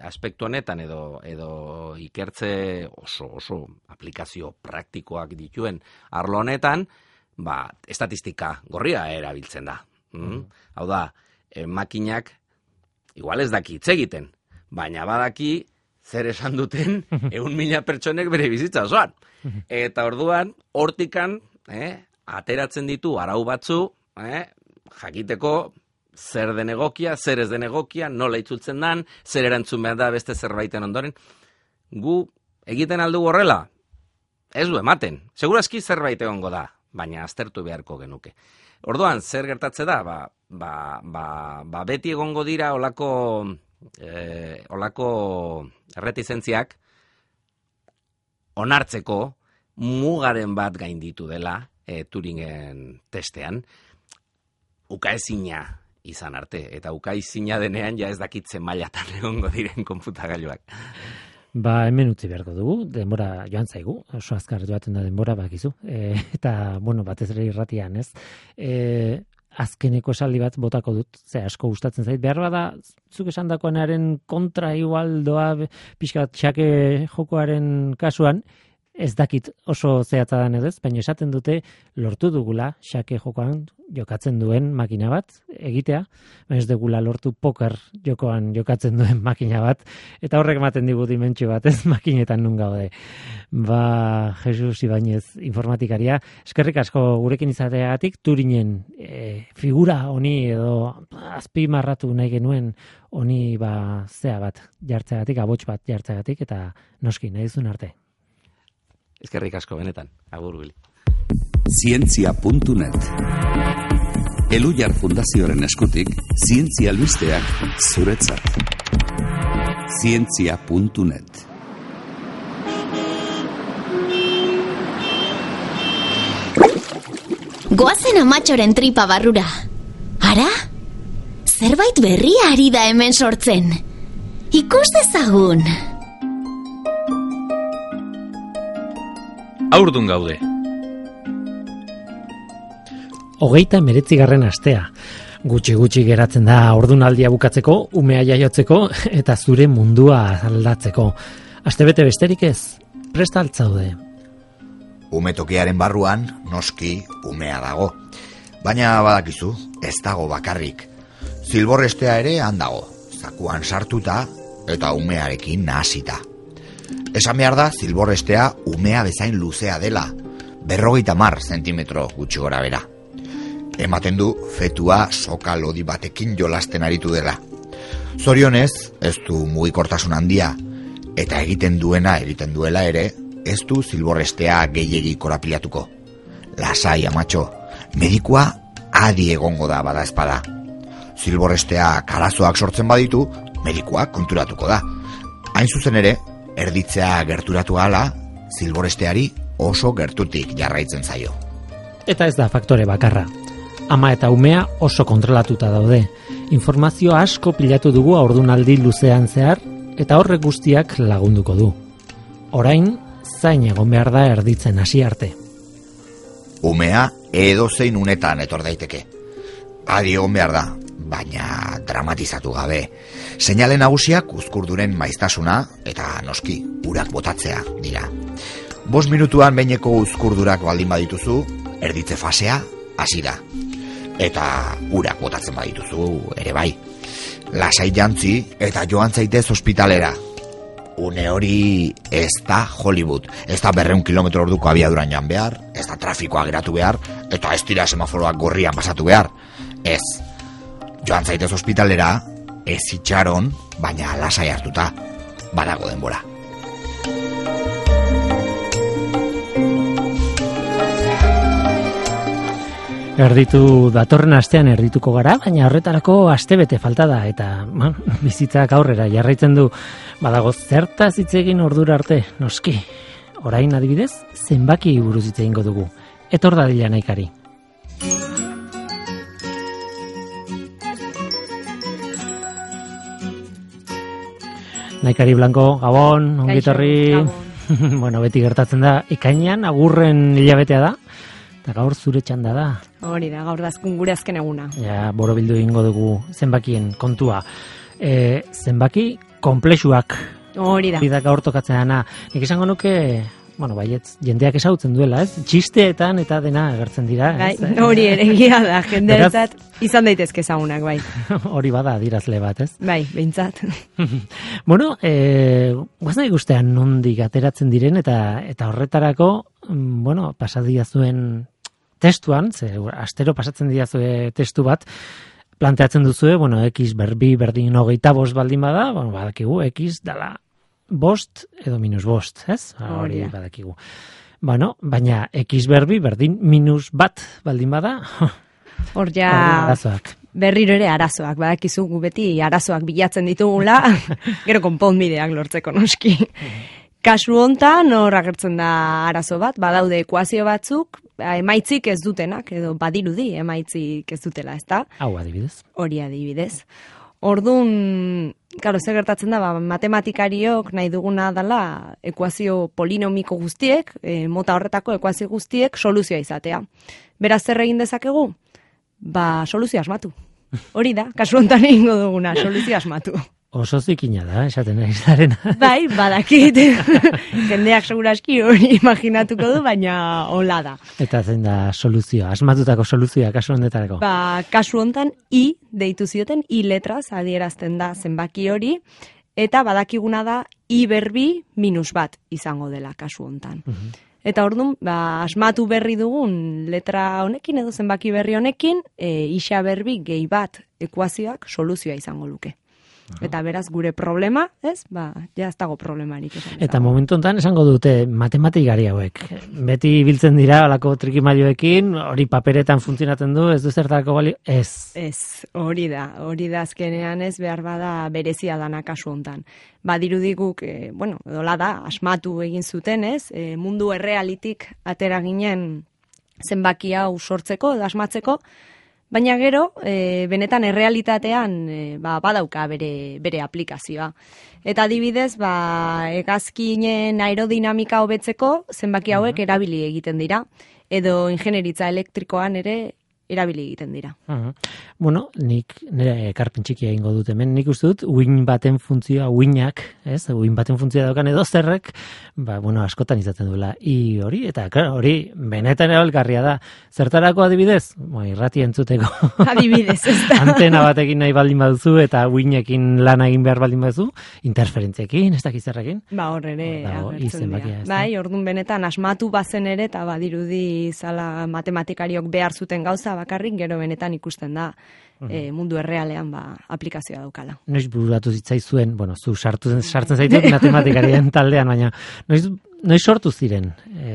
B: aspektu honetan edo ikertze oso aplikazio praktikoak dituen arlo honetan, estatistika gorria erabiltzen da. Hau da, makinak igual ez daki hitz egiten, baina badaki zer esan duten 100.000 pertsonek bere bizitza osoan. Eta orduan, hortikan, ateratzen ditu arau batzu, jakiteko zer den egokia, zer ez den egokia, nola itzultzen dan, zer erantzun behar da beste zerbaiten ondoren. Gu egiten aldugu horrela? Ez du ematen. Segurazki zerbait egongo da, baina aztertu beharko genuke. Orduan, zer gertatze da? Beti egongo dira olako erretizentziak onartzeko mugaren bat gainditu dela Turingen testean, ukaezina izan arte, eta ukaezina denean ja ez dakitzen mailatan egongo diren konputagailuak.
A: Hemen utzi beharko dugu, denbora joan zaigu, oso azkar joaten da denbora bakizu, eta, batez ere irratian, ez? Azkeneko esaldi bat botako dut, ze asko gustatzen zait, behar bada, zuk esan dakoenaren kontra igual doa pixka txake jokoaren kasuan, ez dakit oso zehatza dan edo ez, baina esaten dute lortu dugula xake jokoan jokatzen duen makina bat egitea, baina ez dugula lortu poker jokoan jokatzen duen makina bat, eta horrek ematen digu dimentsio bat, ez makinetan nun gaude. Jesus Ibañez informatikaria, eskerrik asko gurekin izateagatik, Turinen figura honi edo azpimarratu nahi genuen honi zea bat jartzeagatik, abots bat jartzeagatik, eta noski nahi duzun arte.
B: Eskerrik asko benetan, agur Bili.
C: Zientzia.net Elujar Fundazioaren eskutik, zientzia albisteak zuretzat. Zientzia.net
D: Goazen amatxoren tripa barrura. Ara? Zerbait berria ari da hemen sortzen. Ikus dezagun.
E: Haurdun gaude.
A: 39. astea. Gutxi geratzen da haurdunaldia bukatzeko, umea jaiotzeko eta zure mundua aldatzeko. Astebete besterik ez, prest altzaude.
F: Umetokiaren barruan, noski, umea dago. Baina badakizu, ez dago bakarrik. Zilborrestea ere handago, zakuan sartuta eta umearekin nahasita. Esan behar da, zilborrestea umea bezain luzea dela, 50 zentimetro gutxi gora bera. Ematen du fetua soka lodi batekin jolasten aritu dela. Zorionez, ez du mugikortasun handia, eta egiten duela ere, ez du zilborrestea gehiegi korapilatuko. Lasai, amatxo, medikua adi egongo da bada ezpada. Zilborresteak arazoak sortzen baditu, medikuak konturatuko da. Hain zuzen ere, erditzea gerturatu ahala, zilborresteari oso gertutik jarraitzen zaio.
A: Eta ez da faktore bakarra. Ama eta umea oso kontrolatuta daude. Informazio asko pilatu dugu haurdunaldi luzean zehar, eta horrek guztiak lagunduko du. Orain, zain egon behar da erditzen hasi arte.
F: Umea edozein unetan etor daiteke. Adi egon behar da, baina dramatizatu gabe. Seinale nagusiak uzkurduren maiztasuna eta noski urak botatzea dira. 5 minutuan behineko uzkurdurak baldin badituzu, erditze fasea hasi da. Eta urak botatzen badituzu ere bai. Lasai jantzi eta joan zaitez ospitalera. Une hori ez da Hollywood, ez da 200 km/h abiaduran joan behar, ez da trafikoa geratu behar, eta ez dira semaforoak gorrian pasatu behar. Ez, joan zaitez ospitalera, ez itxaron, baina lasai hartuta, badago denbora.
A: Erditu datorren astean erdituko gara, baina horretarako astebete falta da, eta bizitzak aurrera jarraitzen du. Badago zertaz hitz egin ordura arte, noski. Orain adibidez, zenbaki buruz hitz egingo dugu. Etor dadila Naikari. Naikari Blanco, Gabon, ongitorri. Bueno, beti gertatzen da, ekainean agurren hilabetea da. Eta gaur zure txanda da.
E: Hori da, gaur dazkun gure azken eguna.
A: Ja, borobildu egingo dugu zenbakien kontua. Zenbaki konplexuak.
E: Hori da.
A: Hori da gaur tokatzen dana. Nik esango nuke, bueno, baietz, jendeak ezagutzen duela, ez? Txisteetan eta dena agertzen dira.
E: Ez? Hori ere egia da, jendeatzat izan daitezke ezagunak, bai.
A: Hori bada adirazle bat, ez?
E: Bai, behintzat.
A: Bueno, guazen ikustean nondik ateratzen diren eta horretarako, bueno, pasadia zuen testuan, astero pasatzen diazue testu bat, planteatzen duzue, bueno, X berbi berdin 25 baldin bada, bueno, badakigu, X dala 5 edo -5, ez? Hori badakigu. Bueno, baina X berbi berdin -1 baldin bada,
E: hor ja
A: arazoak.
E: Berriro ere arazoak, badakizu gu beti arazoak bilatzen ditugula, gero konponbideak lortzeko noski. Kasu hontan hor agertzen da arazo bat, badaude ekuazio batzuk, emaitzik ez dutenak, edo badirudi emaitzik ez dutela, ezta?
A: Hau adibidez.
E: Hori adibidez. Orduan, claro, zer gertatzen da, matematikariok nahi duguna dela ekuazio polinomiko guztiek, mota horretako ekuazio guztiek soluzioa izatea. Beraz zer egin dezakegu? Soluzio asmatu. Hori da, kasu hontan egingo duguna, soluzio asmatu.
A: Oso zikina da, esaten ari zarena.
E: Bai, badakit. Jendeak seguraski hori imaginatuko du, baina hola da.
A: Eta zein da soluzioa, asmatutako soluzioa kasu honetarako?
E: Kasu hontan I deitu zioten, I letraz adierazten da zenbaki hori, eta badakiguna da I berbi -1 izango dela kasu hontan. Eta orduan, asmatu berri dugun letra honekin edo zenbaki berri honekin, isa berbi gehi bat ekuazioak soluzioa izango luke. Eta beraz gure problema, ez? Ja ez dago problemarik.
A: Eta momentu honetan esango dute matematikari hauek. Beti biltzen dira alako trikimailuekin, hori paperetan funtzionatzen du, ez du zertarako balio? Ez.
E: Ez, hori da azkenean ez behar bada berezia dana kasu hontan. Badirudiguk, bueno, edola da, asmatu egin zuten, ez? Mundu errealitik atera ginen zenbaki hau sortzeko edo asmatzeko, baina gero, benetan errealitatean badauka bere aplikazioa. Eta adibidez, hegazkinen aerodinamika hobetzeko zenbaki hauek erabili egiten dira, edo ingenieritza elektrikoan ere erabili egiten dira.
A: Bueno, nik nire ekarpen txikia egingo dut hemen, nik uste dut, uin baten funtzioa, uinak, ez, uin baten funtzioa daukan edo zerrek, bueno, askotan izaten duela, I hori, eta hori, benetan erabilgarria da, zertarako adibidez? Irrati entzuteko. Adibidez, ez da. Antena batekin nahi baldin baduzu, eta uinekin lan egin behar baldin baduzu, interferentziekin, ez dakizerrekin?
E: Hor ere, agertzen dira. Bai, orduan benetan, asmatu bazen ere, eta badirudi zala matematikariok behar zuten gauza, bakarrik gero benetan ikusten da mundu errealean aplikazioa daukala. Noiz
A: bururatu zitzaizuen, bueno, zu sartzen zaitut matematikarien taldean, baina noiz noiz sortu ziren?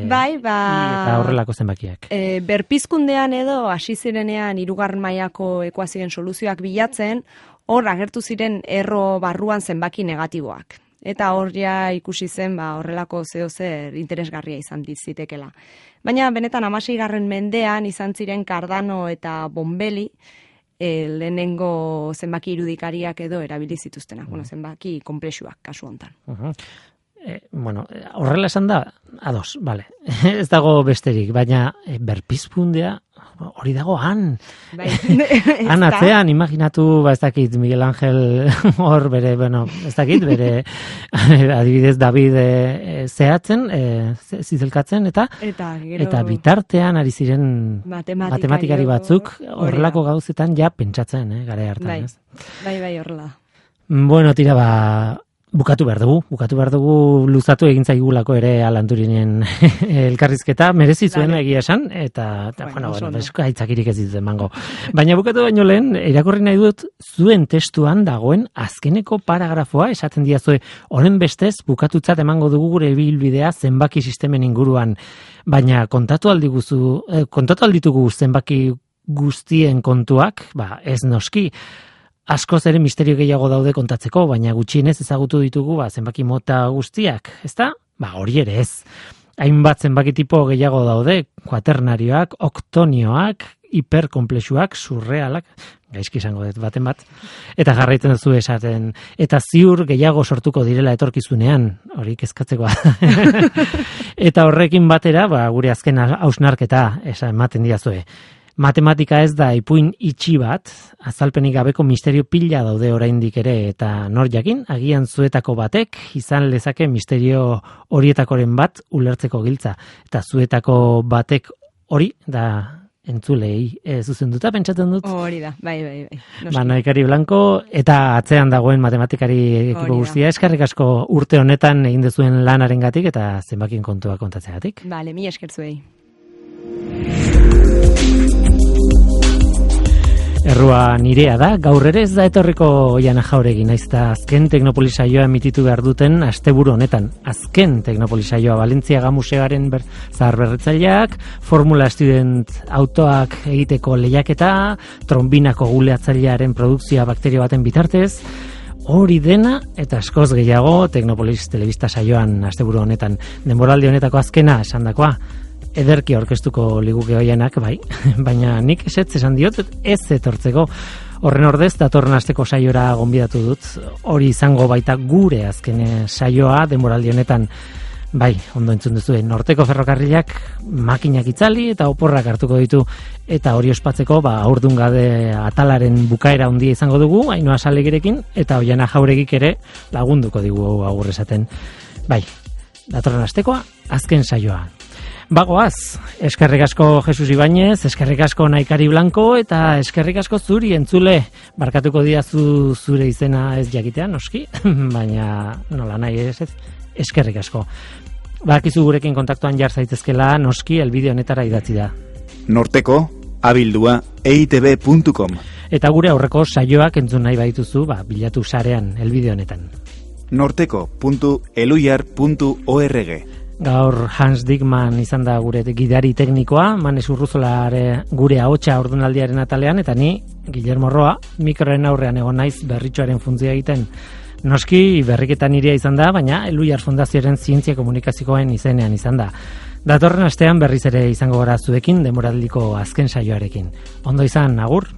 E: Bai,
A: Eta horrelako zenbakiak.
E: Berpizkundean edo hasi zirenean 3. mailako ekuazioen soluzioak bilatzen, hor agertu ziren erro barruan zenbaki negatiboak. Eta hor ja ikusi zen horrelako zer interesgarria izan zitekela. Baina benetan 16. mendean izan ziren Cardano eta Bombelli lehenengo zenbaki irudikariak edo erabili zituztenak, zenbaki konplexuak kasu hontan.
A: Horrela esan da, ados, bale, ez dago besterik, baina berpizkundea hori dago han. Han atzean, imaginatu, ez dakit, Miguel Ángel hor bere, ez dakit, bere adibidez David zehatzen, zizelkatzen, eta bitartean ari ziren matematikari batzuk horrelako gauzetan ja pentsatzen, gara hartan.
E: Bai, horrela.
A: Bueno, tira Bukatu behar dugu luzatu egin zaigulako ere Alan Turinen elkarrizketa, merezi zuen egia esan, eta aitzakirik ez ditut emango. Baina bukatu baino lehen, irakurri nahi dut, zuen testuan dagoen azkeneko paragrafoa, esaten diazue, honen bestez, bukatutzat emango dugu gure ibilbidea zenbaki sistemen inguruan, baina kontatu alditugu zenbaki guztien kontuak, ez noski, askoz ere misterio gehiago daude kontatzeko, baina gutxienez ezagutu ditugu zenbaki mota guztiak, ezta? Hori ere ez. Hainbat zenbaki tipo gehiago daude, kuaternarioak, oktonioak, hiperkomplexuak, surrealak, gaizki izango dut baten bat, eta jarraitzen duzu esaten, eta ziur gehiago sortuko direla etorkizunean, hori kezkatzekoa. Eta horrekin batera, gure azken hausnarketa ematen diazue. Matematika ez da ipuin itxi bat, azalpenik gabeko misterio pila daude oraindik ere, eta nor jakin, agian zuetako batek izan lezake misterio horietakoren bat ulertzeko giltza. Eta zuetako batek hori da entzulei zuzenduta pentsatzen dut.
E: Hori da, bai.
A: Naikari Blanco eta atzean dagoen matematikari ekipo guztia, eskerrik asko urte honetan egin dezuen lanarengatik eta zenbakin kontua kontatzeagatik.
E: Bale, mila esker zuei.
A: Errua nirea da, gaur ere ez da etorriko Oiana Jauregi, naiz eta azken Teknopolisaioa emititu behar duten asteburu honetan. Azken Teknopolisaioa Valentziaga Museoaren zaharberritzaileak, Formula Student autoak egiteko lehiaketa, trombinako guleatzailearen produkzioa bakterio baten bitartez, hori dena eta askoz gehiago Teknopolis telebista saioan asteburu honetan. Denboraldi honetako azkena esandakoa. Ederki aurkeztuko liguke Oianak, bai, baina nik esan diot ez etortzeko. Horren ordez, datorren asteko saiora gonbidatu dut, hori izango baita gure azken saioa denboraldi honetan. Bai, ondo entzun duzu, Norteko ferrokarrilak makinak itzali eta oporrak hartuko ditu, eta hori ospatzeko aurdungade atalaren bukaera handia izango dugu, Ainhoa Salegirekin, eta Oiana Jauregik ere lagunduko digu agur esaten. Bai, datorren astekoa azken saioa. Bagoaz, eskerrik asko Jesus Ibañez, eskerrik asko Naikari Blanco eta eskerrik asko zuri entzule. Barkatuko diazu zure izena ez jakitean, noski, baina nola nahi ez, eskerrik asko. Badakizu gurekin kontaktuan jar zaitezkela, noski, elbide honetara idatzi da.
G: norteko@eitb.com.
A: Eta gure aurreko saioak entzun nahi badituzu, bilatu sarean elbide honetan.
G: norteko.eluyar.org.
A: Gaur Hans Dickman izan da gure gidari teknikoa, Manes Urruzolare gure ahotsa ordunaldiaren atalean, eta ni, Guillermo Roa, mikroren aurrean egon naiz berritxoaren funtzioa egiten. Noski berriketan nirea izan da, baina Eluyar Fundazioaren zientzia komunikazioen izenean izan da. Datorren astean berriz ere izango gara zuekin denboraldiko azken saioarekin. Ondo izan, agur!